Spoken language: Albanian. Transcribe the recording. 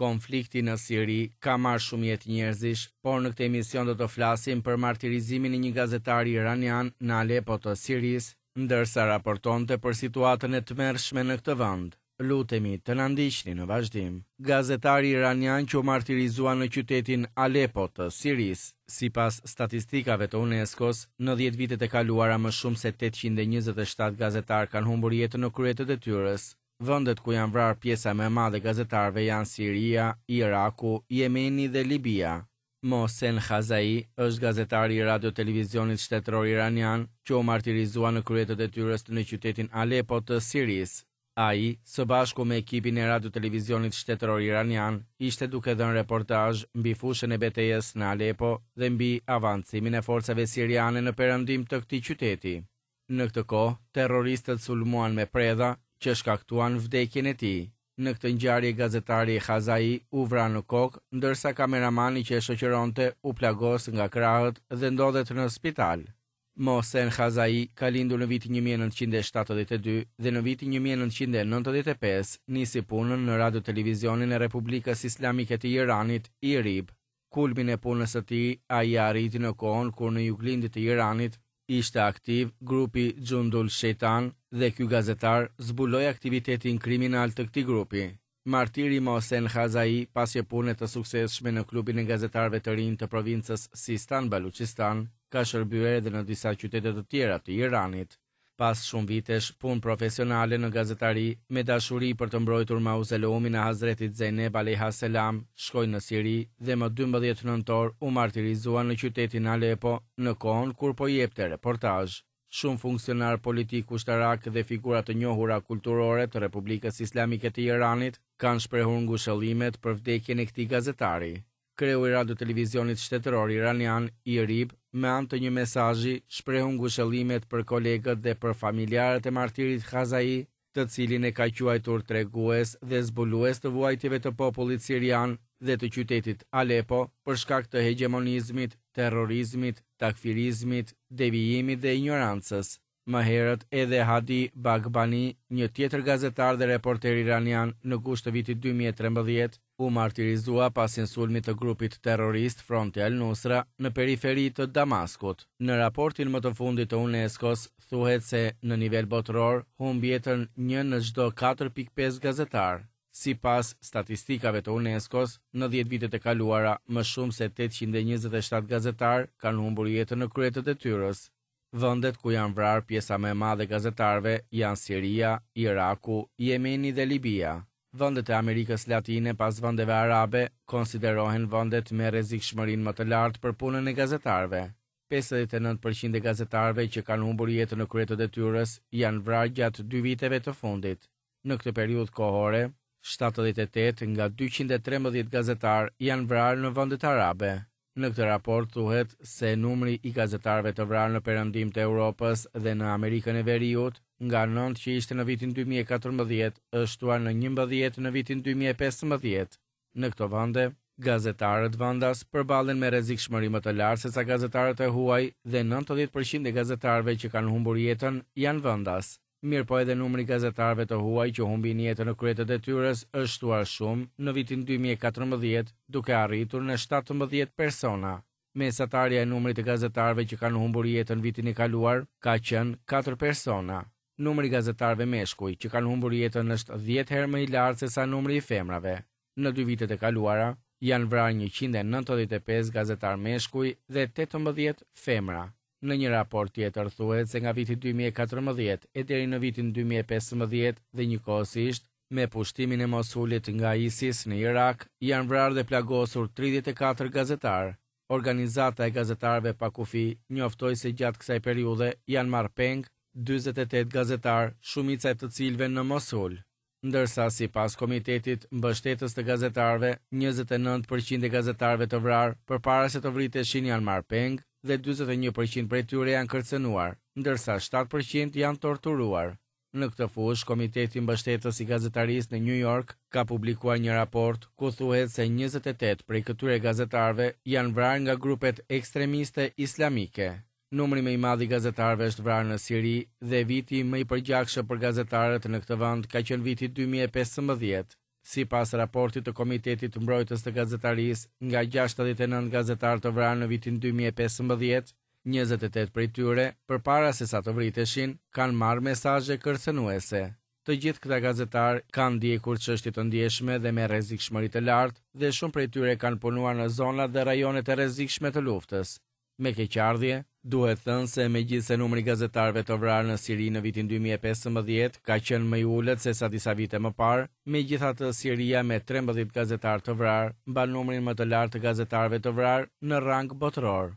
Konflikti në Siri ka marrë shumë jetë njerëzish, por në këtë emision do të flasim për martirizimin e një gazetari iranian në Alepo të Sirisë, ndërsa raportonte për situatën e tmerrshme në këtë vend. Lutemi të na ndiqni në vazhdim. Gazetari iranian që u martirizua në qytetin Alepo të Sirisë. Sipas statistikave të UNESCO-s, në 10 vitet e kaluara më shumë se 827 gazetarë kanë humbur jetën në krye të detyrës. Vendet ku janë vrarë pjesa më e madhe e gazetarëve janë Siria, Iraku, Jemeni dhe Libia. Mohsen Khazai është gazetari i Radio-Televizionit Shtetëror Iranian që u martirizua në krye të detyrës në qytetin Alepo të Sirisë. Ai, së bashku me ekipin e Radio-Televizionit Shtetëror Iranian, ishte duke dhënë reportazh mbi fushën e betejës në Alepo dhe mbi avancimin e forcave siriane në perëndim të këtij qyteti. Në këtë kohë, terroristët sulmuan me predha, që shkaktuan vdekjen e tij. Në këtë ngjarje gazetari Khazai u vra në kokë, ndërsa kameramani që e shoqëronte u plagos nga krahët dhe ndodhet në spital. Mohsen Khazai ka lindur në vitin 1972 dhe në vitin 1995 nisi punën në Radio-Televizionin e Republikës Islamike të Iranit, IRIB. Kulmin e punës së tij ai e arriti në kohën kur në juglindje të Iranit ishte aktiv grupi Xhundul Shejtan dhe ky gazetar zbuloi aktivitetin kriminal të këtij grupi. Martiri Mohsen Khazai pas një pune të suksesshme në klubin e gazetarëve të rinj të provincës Sistan Baluçistan, ka shërbyer edhe në disa qytete të tjera të Iranit. Pas shumë vitesh punë profesionale në gazetari, me dashuri për të mbrojtur mauzoleumin e Hazretit Zejneb alejha selam, shkoi në Siri dhe më 12 nëntor u martirizua në qytetin Alepo, në kohën kur po jepte reportazh. Shumë funksionarë politikë ushtarakë dhe figura të njohura kulturore të Republikës Islamike të Iranit kanë shprehur ngushëllimet për vdekjen e këtij gazetari. Kreu i Radio-Televizionit Shtetëror Iranian, IRIB, me anë të një mesazhi, shprehu ngushëllimet për kolegët dhe për familjarët e martirit Khazai, të cilin e ka quajtur tregues dhe zbulues të vuajtjeve të popullit sirian dhe të qytetit Alepo për shkak të hegjemonizmit, terrorizmit, takfirizmit, devijimit dhe injorancës. Më herët edhe Hadi Baghbani, një tjetër gazetar dhe reporter iranian në gusht të vitit 2013, u martirizua pas një sulmi të grupit terrorist Fronti al-Nusra në periferi të Damaskut. Në raportin më të fundit të UNESCO-s thuhet se në nivel botëror humb jetën një në çdo 4.5 gazetarë. Sipas statistikave të UNESCO-s, në 10 vitet e kaluara, më shumë se 827 gazetarë kanë humbur jetën në krye të detyrës. Vendet ku janë vrarë pjesa më e madhe e gazetarëve janë Siria, Iraku, Jemeni dhe Libia. Vendet e Amerikës Latine pas vendeve arabe konsiderohen vendet me rrezikshmërinë më të lartë për punën e gazetarëve. 59% e gazetarëve që kanë humbur jetën në krye të detyrës janë vrarë gjatë dy viteve të fundit. Në këtë periudhë kohore, 78 nga 213 gazetarë janë vrarë në vendet arabe. Në këtë raport thuhet se numri i gazetarëve të vrarë në perëndim të Europës dhe në Amerikën e Veriut, nga 9 që ishte në vitin 2014, është shtuar në 11 në vitin 2015. Në këto vende, gazetarët vendas përballen me rrezikshmëri më të lartë sesa gazetarët e huaj dhe 90% e gazetarëve që kanë humbur jetën janë vendas. Mirëpo edhe numri i gazetarëve të huaj që humbin jetën në krye të detyrës është shtuar shumë në vitin 2014, duke arritur në 17 persona. Mesatarja e numrit të gazetarëve që kanë humbur jetën vitin e kaluar ka qenë 4 persona. Numri i gazetarëve meshkuj që kanë humbur jetën është 10 herë më i lartë sesa numri i femrave. Në dy vitet e kaluara janë vrarë 195 gazetarë meshkuj dhe 18 femra. Në një raport tjetër thuhet se nga viti 2014 e deri në vitin 2015 dhe njëkohësisht me pushtimin e Mosulit nga ISIS në Irak janë vrarë dhe plagosur 34 gazetarë. Organizata e Gazetarëve Pa Kufi njoftoi se gjatë kësaj periudhe janë marrë peng 48 gazetarë, shumica e të cilëve në Mosul. Ndërsa sipas Komitetit Mbështetës të Gazetarëve, 29% e gazetarëve të vrarë përpara se të vriteshin janë marrë peng dhe 41% prej tyre janë kërcënuar, ndërsa 7% janë torturuar. Në këtë fushë, Komiteti Mbështetës i Gazetarisë në New York ka publikuar një raport ku thuhet se 28 prej këtyre gazetarëve janë vrarë nga grupet ekstremiste islamike. Numri më i madh i gazetarëve është vrarë në Siri dhe viti më i përgjakshëm për gazetarët në këtë vend ka qenë viti 2015. Sipas raportit të Komitetit Mbrojtës të Gazetarisë, nga 69 gazetarë të vrarë në vitin 2015, 28 prej tyre, përpara se sa të vriteshin, kanë marrë mesazhe kërcënuese. Të gjithë këta gazetarë kanë ndjekur çështje të ndjeshme dhe me rrezikshmëri të lartë dhe shumë prej tyre kanë punuar në zonat dhe rajonet e rrezikshme të luftës. Me keqardhje, duhet thënë se megjithëse numri i gazetarëve të vrarë në Siri në vitin 2015 ka qenë më i ulët sesa disa vite më parë, megjithatë Siria me 13 gazetarë të vrarë mban numrin më të lartë të gazetarëve të vrarë në rang botëror.